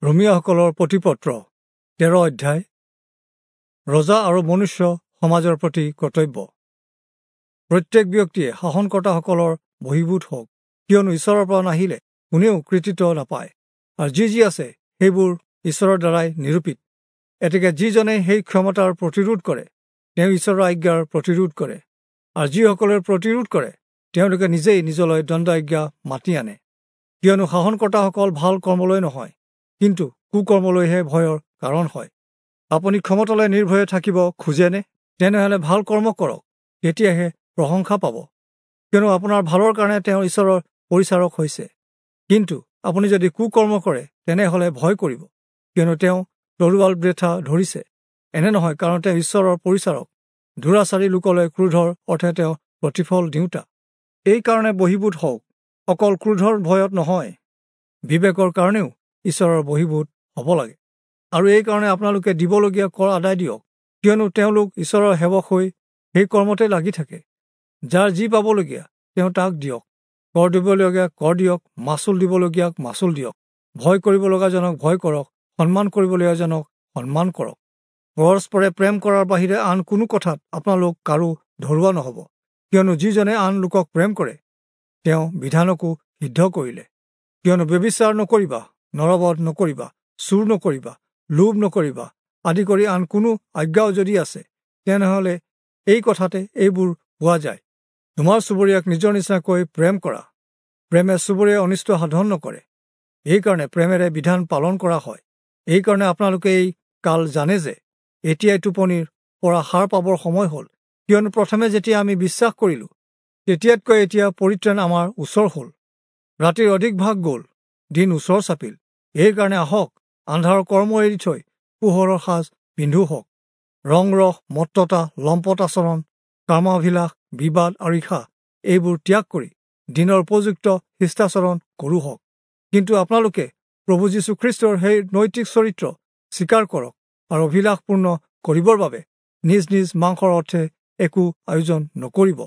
ৰোমীয়াসকলৰ প্ৰতিপত্ৰ 13 অধ্যায়। ৰজা আৰু মনুষ্য সমাজৰ প্ৰতি কৰ্তব্য। প্ৰত্যেক ব্যক্তিয়ে শাসনকৰ্তাসকলৰ বহিভূত হওক, কিয়নো ঈশ্বৰৰ পৰা নাহিলে কোনেও কৃতিত্ব নাপায়, আৰু যি যি আছে সেইবোৰ ঈশ্বৰৰ দ্বাৰাই নিৰূপিত। এতেকে যিজনে সেই ক্ষমতাৰ প্ৰতিৰোধ কৰে তেওঁ ঈশ্বৰৰ আজ্ঞাৰ প্ৰতিৰোধ কৰে, আৰু যিসকলে প্ৰতিৰোধ কৰে তেওঁলোকে নিজেই নিজলৈ দণ্ডাজ্ঞা মাতি আনে। কিয়নো শাসনকৰ্তাসকল ভাল কৰ্মলৈ নহয়, কিন্তু কুকৰ্মলৈহে ভয়ৰ কাৰণ হয়। আপুনি ক্ষমতালৈ নিৰ্ভয়ে থাকিব খোজেনে? তেনেহ'লে ভাল কৰ্ম কৰক, তেতিয়াহে প্ৰশংসা পাব, কিয়নো আপোনাৰ ভালৰ কাৰণে তেওঁ ঈশ্বৰৰ পৰিচাৰক হৈছে। কিন্তু আপুনি যদি কুকৰ্ম কৰে তেনেহ'লে ভয় কৰিব, কিয়নো তেওঁ তৰোৱাল বৃথা ধৰিছে। এনে নহয়, কাৰণ তেওঁ ঈশ্বৰৰ পৰিচাৰক, দুৰাচাৰী লোকলৈ ক্ৰোধৰ অৰ্থে তেওঁ প্ৰতিফল দিওঁতা। এইকাৰণে বহিভূত হওক, অকল ক্ৰোধৰ ভয়ত নহয়, বিবেকৰ কাৰণেও ঈশ্বৰৰ বহিভূত হ'ব লাগে। আৰু এইকাৰণে আপোনালোকে দিবলগীয়া কৰ আদায় দিয়ক, কিয়নো তেওঁলোক ঈশ্বৰৰ সেৱক হৈ সেই কৰ্মতে লাগি থাকে। যাৰ যি পাবলগীয়া তেওঁ তাক দিয়ক, কৰ দিবলগীয়া কৰ দিয়ক, মাচুল দিবলগীয়াক মাচুল দিয়ক, ভয় কৰিবলগাজনক ভয় কৰক, সন্মান কৰিবলগীয়াজনক সন্মান কৰক। পৰস্পৰে প্ৰেম কৰাৰ বাহিৰে আন কোনো কথাত আপোনালোক কাৰো ধৰুৱা নহ'ব, কিয়নো যিজনে আন লোকক প্ৰেম কৰে তেওঁ বিধানকো সিদ্ধ কৰিলে। কিয়নো ব্যভিচাৰ নকৰিবা, নৰবধ নকৰিবা, চুৰ নকৰিবা, লোভ নকৰিবা আদি কৰি আন কোনো আজ্ঞাও যদি আছে, তেনেহ'লে এই কথাতে এইবোৰ পোৱা যায়। তোমাৰ চুবুৰীয়াক নিজৰ নিচিনাকৈ প্ৰেম কৰা। প্ৰেমে চুবুৰীয়াই অনিষ্ট সাধন নকৰে, এইকাৰণে প্ৰেমেৰে বিধান পালন কৰা হয়। এইকাৰণে আপোনালোকে এই কাল জানে যে এতিয়াই টোপনিৰ পৰা সাৰ পাবৰ সময় হ'ল, কিয়নো প্ৰথমে যেতিয়া আমি বিশ্বাস কৰিলোঁ তেতিয়াতকৈ এতিয়া পৰিত্ৰাণ আমাৰ ওচৰ হ'ল। ৰাতিৰ অধিক ভাগ গ'ল, দিন ওচৰ চাপিল। এইকাৰণে আহক, আন্ধাৰৰ কৰ্ম এৰি থৈ পোহৰৰ সাজ পিন্ধো হওক। ৰং ৰস, মত্ততা, লম্পট আচৰণ, কামাভিলাষ, বিবাদ আৰু ঈৰ্ষা এইবোৰ ত্যাগ কৰি দিনৰ উপযুক্ত শিষ্টাচৰণ কৰোঁ হওক। কিন্তু আপোনালোকে প্ৰভু যীশুখ্ৰীষ্টৰ সেই নৈতিক চৰিত্ৰ স্বীকাৰ কৰক আৰু অভিলাষপূৰ্ণ কৰিবৰ বাবে নিজ নিজ মাংসৰ অৰ্থে একো আয়োজন নকৰিব।